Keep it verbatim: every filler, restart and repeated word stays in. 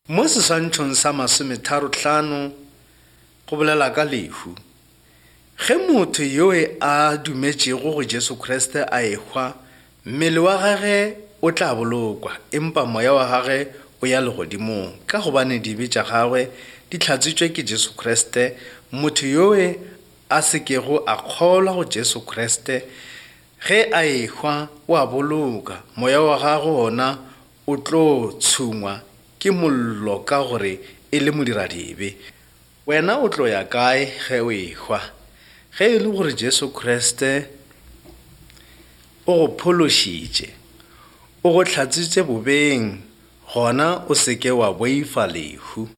Mo seswantšhong sa masometharo-hlano go bolela ka lehu. Ge motho yo a dumetšego go Jesu Kriste a ehwa, mmele wa gagwe o tla bolokwa, empa moya wa gagwe o ya legodimong, ka gobane dibe tša gagwe di hlatswitšwe ke Jesu Kriste. Motho yo a se kego a kgolwa go Jesu Kriste, ge a ehwa o a boloka, moya wa gagwe wona o tlo tshungwa ke mollo ka gore e le modiradibe. Wena o tlo ya kae ge o ehwa? Ge e le gore Jesu Kriste o go phološitše, o go hlatswitše bobeng, gona o se ke wa boifa lehu.